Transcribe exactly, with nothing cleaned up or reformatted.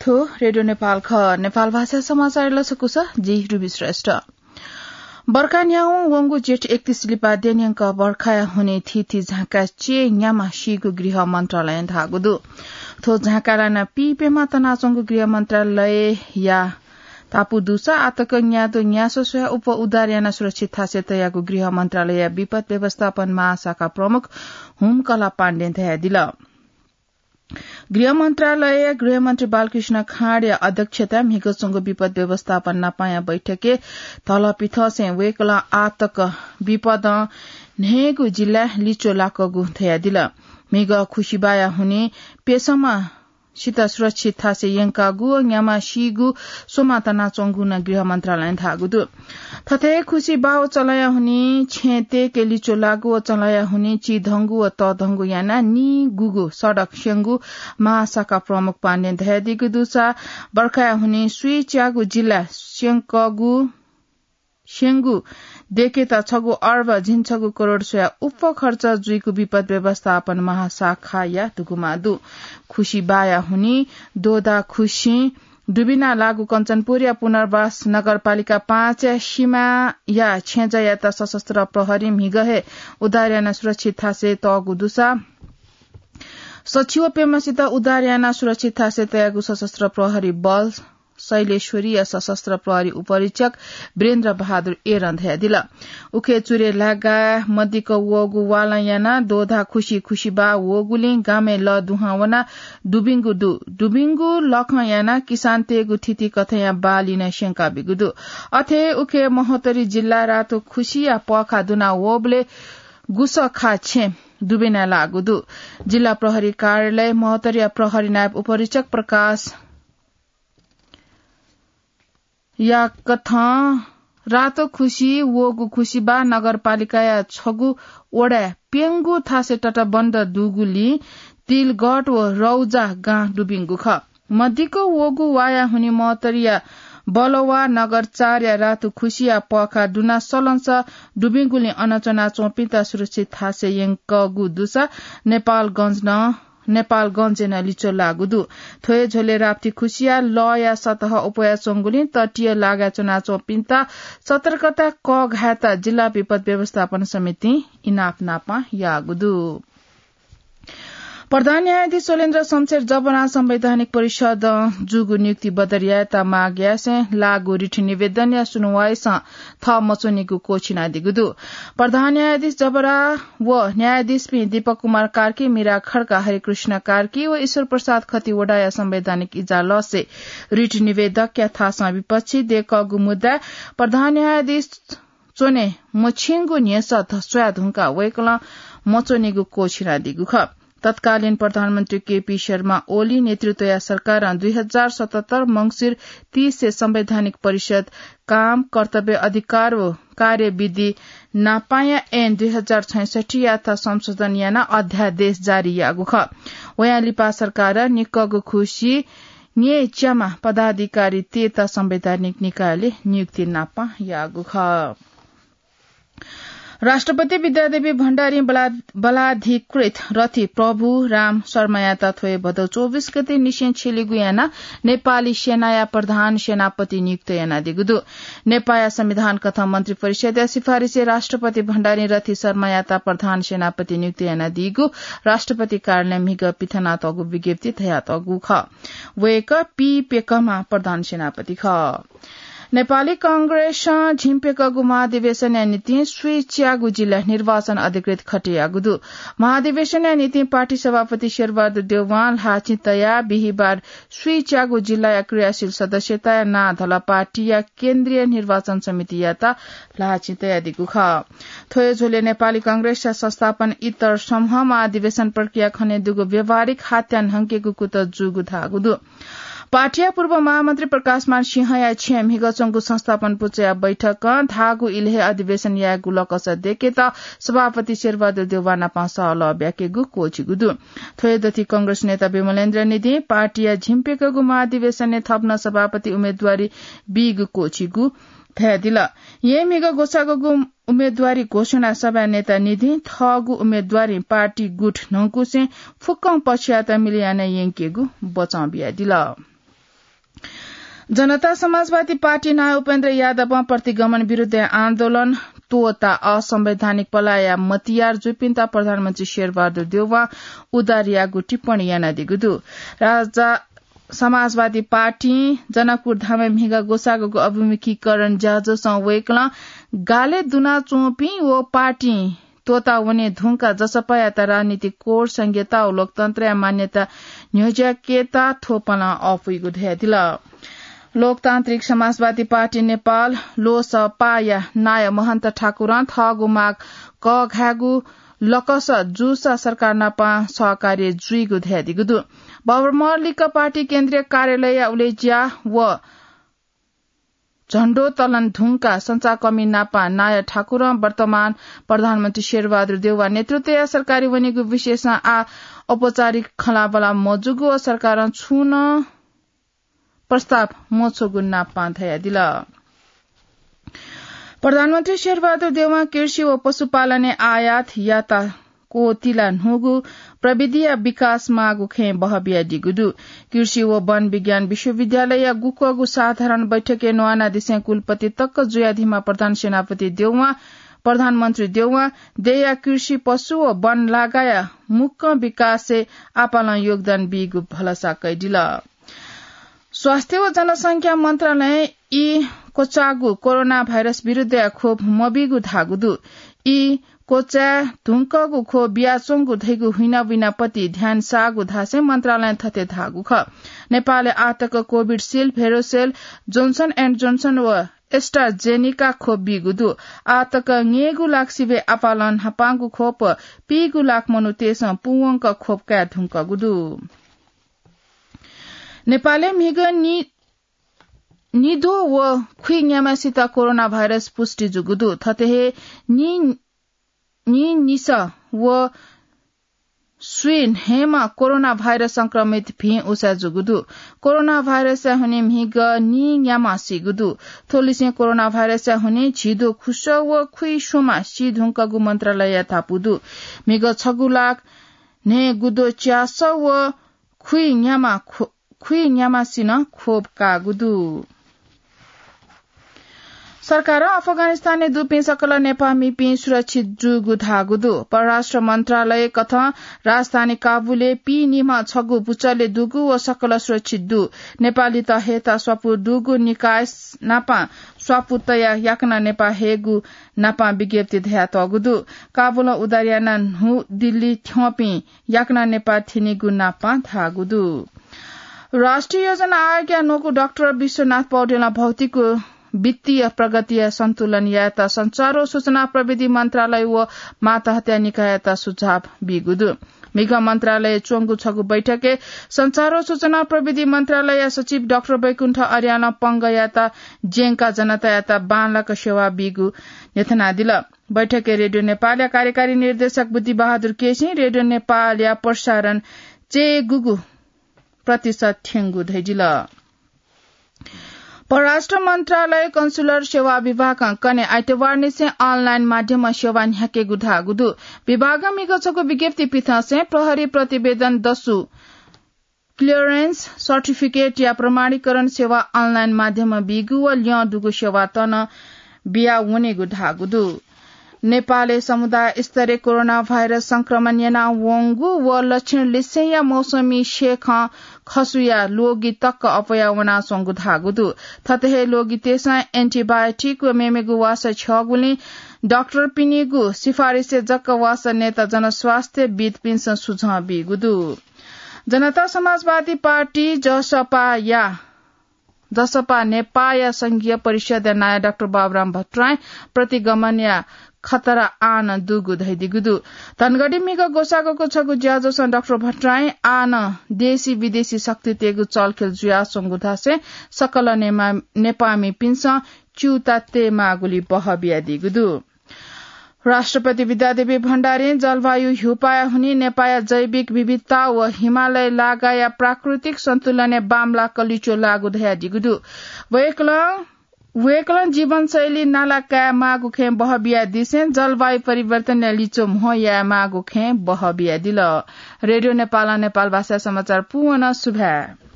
थ्व रेडियो नेपाल खः। नेपाल भाषा समाचार लसकुस, जि रुबी श्रेष्ठ। बर्खा न्ह्यावं वंगु जेठ एकतीस लिपा देन्यंक बर्खाया हुने थीथी झाँका चे न्यामा सीगु गृह मन्त्रालयं धाःगु दु। थ्व झाँका लाना पीप्यमा तनाच्वंगु गृह मन्त्रालयया तापु दुसा आतक न्यादो न्यासः स्वया उप उद्धार याना सुरक्षित थासय् तयागु गृह मन्त्रालयया विपद व्यवस्थापन महाशाखा प्रमुख हुमकला पाण्डें धयादिल। गृह मन्त्रालयया गृहमन्त्री बालकृष्ण खाँडया अध्यक्षताय् म्हिगः च्वंगु विपद व्यवस्थापन नापाया बैठकय् धलपिथसें वय्कलं आतक विपदं न्हय्गू जिल्लाय् लिच्वः लाकूगु धयादिल। म्हिगः खुसिबाया हुनिं प्यसम्म सित सुरक्षित थासय् यंकागु व न्यामा सीगु स्वमा तनाच्वंगु नं गृह मन्त्रालयं धाःगु दु। थथे खुसिबा व चलंया हुनिं छेँ तय्के लिच्वः लाःगु व चलंया हुनिं चिधंगु व तःधंगु यानाः निगूगु सडक स्यंगु महाशाखा प्रमुख पाण्डें धयादीगु दुसा बर्खाया हुनिं स्वीच्यागु जिल्ला स्यंकगु स्यंगु देकेत छगू अर्ब झिंछगू करोड स्वया उप खर्च जुइगु विपद व्यवस्थापन महाशाखाया दुगुमा दु। खुसिबाया हुनिं दोदा खुसिं दुबिना लाःगु कञ्चनपुरया पुनर्वास नगरपालिका पाँचया सीमाया छेँजःयात सशस्त्र प्रहरी म्हिगः हे उद्धार यानाः सुरक्षित थासय् तःगु दुसा सछि व प्यम्हसित उद्धार यानाः सुरक्षित थासय् तयागु सशस्त्र प्रहरी बल शैलेश्वरीया सशस्त्र प्रहरी उपरीक्षक वीरेन्द्र बहादुर एरं धयादिल। उखे चुरे लागा मदिक वःगु वालं यानाः दोधा खुसि खुसिबा वःगुलिं गामय् लः दुहां वनाः दुबिंगु दु। दुबिंगु लखं यानाः किसानतय्गु थितिकथंया बाली नं स्यंकाबीगु दु। अथे उखे महोत्तरी जिल्ला रातो खुसिया पःखा दुना वःबलय् गुसः खा छेँ दुबिना लाःगु दु। जिल्ला प्रहरी कार्यालय महोत्तरीया प्रहरी नायब उपरीक्षक प्रकाश याकथं रातो खुसि वःगु खुसिबा नगरपालिकाया छगू वडाय् प्यंगू थासय् तटबन्ध दुगुलिं तिलगढ व रौजा गां दुबिंगु खः। मदिक वःगु वाया हुनिं महोत्तरीया बलवा नगर चारया रातो खुसिया पःखा दुना सलंसः दुबिंगुलिं अन च्वनाच्वंपिन्त सुरक्षित थासय् यंकःगु दुसा नेपालगंज नं नेपालगंजय् नं लिच्वः लाःगु दु। थ्व हे झ्वलय् राप्ती खुसिया लःया सतह अप्वयाच्वंगुलिं तटीय लागाय् च्वनाच्वंपिन्त सतर्कता कःघायेत जिल्ला विपद व्यवस्थापन समितिं इनाप नापं याःगु दु। प्रधान न्यायाधीश शैलेन्द्र शमशेर जबरां संवैधानिक परिषदं जूगु नियुक्ति बदर यायेत माग यासें लाःगु रिट निवेदनया सुनुवाइसं थः मच्वनीगु क्वःछिनादीगु दु। प्रधान न्यायाधीश जबरा व न्यायाधीशपिं दीपक कुमार कार्की, मीरा खड्का, हरिकृष्ण कार्की व ईश्वर प्रसाद खतिवडाया संवैधानिक इजालतसे रिट निवेदकया थासं विपक्षी दय्कःगु मुद्दाय् प्रधान न्यायाधीश च्वने मछिंगु न्ह्यसः ध-, स्वयाः धुंकाः वय्कलं मच्वनीगु क्वःछिनादीगु खः। तत्कालीन प्रधानमन्त्री केपी शर्मा ओली नेतृत्वया सरकारं दुई हजार सतहत्तर मंसिर तीस से संवैधानिक परिषद काम, कर्तव्य, अधिकार व कार्यविधि नापाया ऐन दुई हजार छैसठ्ठीयात संशोधन यानाः अध्यादेश जारी याःगु खः। वयां लिपा सरकारं निक्कःगु खुसि न्यय्च्यामा पदाधिकारीतय्त संवैधानिक निकायलय् नियुक्ति नापं याःगु खः। राष्ट्रपति विद्यादेवी भण्डारीं बला-, बलाधिकृत रथी प्रभु राम शर्मायात थ्व हे भदौ चौबिस गते निसें छ्यलीगु यानाः नेपाली सेनाया प्रधान सेनापति नियुक्त यानादीगु दु। नेपाःया संविधान कथं मन्त्री परिषदया सिफारिसय् राष्ट्रपति भण्डारीं रथी शर्मायात प्रधान सेनापति नियुक्त यानादीगु राष्ट्रपति कार्यालयं म्हिगः पिथनातःगु विज्ञप्ति धयातःगु खः। वय्कः पीप्यकःम्ह प्रधान सेनापति खः। नेपाली कांग्रेसं झिंप्यकःगु महाधिवेशनया निंतिं स्वीच्यागु जिल्लाय् निर्वाचन अधिकृत खटेयाःगु दु। महाधिवेशनया निंतिं पार्टी सभापति शेरबहादुर देउवां ल्हाःचिं तयाः बिहिबार स्वीच्यागु जिल्लाया क्रियाशील सदस्यताया नां धल पार्टीया केन्द्रीय निर्वाचन समितियात ल्हाःचिं तयादीगु खः। थ्व हे झ्वलय् नेपाली कांग्रेसया संस्थापन इतर समूह महाधिवेशन प्रक्रिया खनेदुगु व्यावहारिक हात्या न्हंकेगु कुतः जूगु धाःगु दु। पार्टीया पूर्व महामन्त्री प्रकाशमान सिंहया छेँय् म्हिगः च्वंगु संस्थापन पुचःया बैठकं धाःगु इलय् हे अधिवेशन यायेगु लकस दय्केत सभापति शेरबहादुर देउवा नाप सहलह ब्याकेगु क्वःछिगु दु। थ्व हे दथुइ कांग्रेस नेता विमलेन्द्र निधिं पार्टीया झिंप्यकःगु महाधिवेशनय् थप नं सभापति उम्मेदवारी बीगु क्वःछिगु धयादिल। येँ म्हिगः ग्वसाःगु उम्मेदवारी घोषणा सभाय् नेता निधिं थःगु उम्मेदवारीं पार्टी गुट न्हंकुसें फुक्कं पक्षयात मिले याना यंकेगु बचं बियादिल। जनता समाजवादी पार्टी नायः उपेन्द्र यादवं प्रतिगमन विरुद्ध आन्दोलन, त्वःता असंवैधानिक पलाया मतियार जुइपिन्त प्रधानमन्त्री शेरबहादुर देउवां उदार याःगु टिप्पणी यानादीगु दु। राजा समाजवादी पार्टीं जनकपुर धामय् म्हिगः ग्वसाःगु अभिमुखीकरण ज्याझ्वलय् वय्कलं गालय् दुनाच्वंपिं व पार्टीं त्वःता वने धुंकाः जसपायात राजनीतिक कोड, संघीयता व लोकतन्त्रया मान्यता न्ह्यज्याकेत थ्व पालं अःपुइगु धयादिल। लोकतान्त्रिक समाजवादी पार्टी नेपाल, लोसपाया नायः महन्त ठाकुरं थःगु माग कःघायेगु लकस जूसा सरकार नाप सहकार्य जुइगु धयादीगु दु। बबरमहल लिक्क पार्टी केन्द्रीय कार्यालयया उलेज्या व झण्डोत्तोलन धुंकाः संचारकर्मी नाप नायः ठाकुरं वर्तमान प्रधानमन्त्री शेरबहादुर देउवा नेतृत्वया सरकारी वनीगु विषयसं आः औपचारिक खँल्हाबल्हा मजूगु व सरकारं छुं नं प्रस्ताव मछ्वःगु नाप धयादिल। प्रधानमन्त्री शेरबहादुर देउवां कृषि व पशुपालनय् आयात यात क्वःतिला न्हूगु प्रविधिया विकास माःगु खँय् बहः बियादीगु दु। कृषि व वन विज्ञान विश्वविद्यालयया गुक्वःगु साधारण बैठकय् न्वानादिसें कुलपति तक जुयादीम्ह प्रधान सेनापति देउवां प्रधानमन्त्री देउवां देय्‌या कृषि, पशु व वन लागाया मुक्कं विकासय् आपालं योगदान बीगु भलसा कयादिल। स्वास्थ्य व जनसंख्या मन्त्रालयं ई क्वचाःगु कोरोना भाइरस विरुद्धया खोप मबीगु धाःगु दु। ई क्वचाये धुंकःगु खोप बियाच्वंगु धइगु हुइना विनापति ध्यान साःगु धासें मन्त्रालयं थथे धाःगु खः। नेपालय् आःतक कोभिसिल्ड, भेरोसेल, जोन्सन एन्ड जोन्सन व एस्ट्राजेनिका खोप बीगु दु। आःतक न्यय्‌गू लाख सिबें आपालं न्हापांगु खोप पीगू लाख मनूतय्‌सं पूवंक खोप काये धुंकःगु दु। नेपालय् म्हिगः नि-, निद्वः व खुइन्याम्हसित कोरोना भाइरस पुष्टि जूगु दु। थथे हे नि-, निनिसः व स्वीन्हय्‌म्ह कोरोना भाइरस संक्रमित भिं उसा जूगु दु। कोरोना भाइरसया हुनिं म्हिगः निन्याम्ह सीगु दु। थ्व लिसें कोरोना भाइरसया हुनिं झिद्वः खुसः व खुइस्वम्ह सी धुंकःगु मन्त्रालयया धापू दु। म्हिगः छगू लाख न्हय्‌गू द्वः च्यासः व खुइन्याम्ह खो-, खुइन्याम्हसिनं खोप काःगु दु। सरकारं अफगानिस्तानय् दुपिं सकल नेपाःमिपिं सुरक्षित जूगु धाःगु दु। परराष्ट्र मन्त्रालय कथं राजधानी काबुलय् पीनिम्ह छगू पुचलय् दुगु व सकल सुरक्षित दु। नेपालीत हयेत स्वापू दुगु निकाय नापं स्वापू तयाः याकनं नेपाः हयेगु नापं विज्ञप्ति धयातःगु दु। काबुलं उद्धार यानाः न्हू दिल्ली थ्यंपिं याकनं नेपाः थ्यनीगु नापं धाःगु दु। राष्ट्रिय योजना आयोगया न्वकू डाक्टर विश्वनाथ पौडेलं भौतिक व वित्तीय प्रगतिया सन्तुलन यायेत सञ्चार व सूचना प्रविधि मन्त्रालय व मातहतया निकाययात सुझाव बीगु दु। म्हिगः मन्त्रालयय् च्वंगु छगू बैठकय् सञ्चार व सूचना प्रविधि मन्त्रालयया सचिव डाक्टर वैकुण्ठ अर्यालं पंगःयात ज्यंकाः जनतायात बांलाक सेवा बीगु न्ह्यथनादिल। बैठकय् रेडियो नेपालया कार्यकारी निर्देशक बुद्धिबहादुर केसीं रेडियो नेपालया प्रसारण चय्‌गूगू प्रतिशत थ्यंगु धयादिल। परराष्ट्र मन्त्रालय कन्सुलर सेवा विभागं कन्हय् आइतबारनिसें अनलाइन माध्यमं सेवा न्ह्याकेगु धाःगु दु। विभागं म्हिगः छगू विज्ञप्ति पिथंसें प्रहरी प्रतिवेदन दसु क्लियरेन्स सर्टिफिकेटया प्रमाणीकरण सेवा अनलाइन माध्यमं बीगु व ल्यं दुगु सेवात नं बिया वनेगु धाःगु दु। नेपालय् समुदाय स्तरय् कोरोना भाइरस संक्रमण याना वंगु व लक्षण लिसेंया मौसमी सेखं खसुया ल्वगि तक अप्वया वनाच्वंगु धाःगु दु। थथे हे ल्वगितय्‌सं एन्टिबायोटिक व मेमेगु वासः छ्यःगुलिं डाक्टरपिनिगु सिफारिसय् जक वासः नयेत जनस्वास्थ्यविद्‌पिन्सं सुझाव बीगु दु। जनता समाजवादी पार्टी, जसपाया, जसपा नेपाःया संघीय परिषद्‌या नायः डाक्टर बाबुराम भट्टराईं प्रतिगमनया खतरा आः नं दुगु धयादीगु दु। धनगढी म्हिगः ग्वसाःगु छगू ज्याझ्वलं डाक्टर भट्टराईं आः नं देशी विदेशी शक्तितय्‌गु चलखेल जुयाच्वंगु धासें सकल नेमा-, नेपाःमिपिन्सं च्यूता तयेमाःगुली बहः बियादीगु दु। राष्ट्रपति विद्यादेवी भण्डारीं जलवायु ह्यूपाया हुनिं नेपाःया जैविक विविधता व हिमालय लागाया प्राकृतिक सन्तुलनय् बांमलाक लिच्वः लाःगु धयादीगु दु। वय्‌कलं, वय्‌कलं जीवनशैली नाला कायेमाःगु खँय् बहः बियादिसें जलवायु परिवर्तनया लिच्वः म्हो यायेमाःगु खँय् बहः बियादिल। रेडियो नेपालं नेपाल भाषा समाचार पूवंक सुभाय्।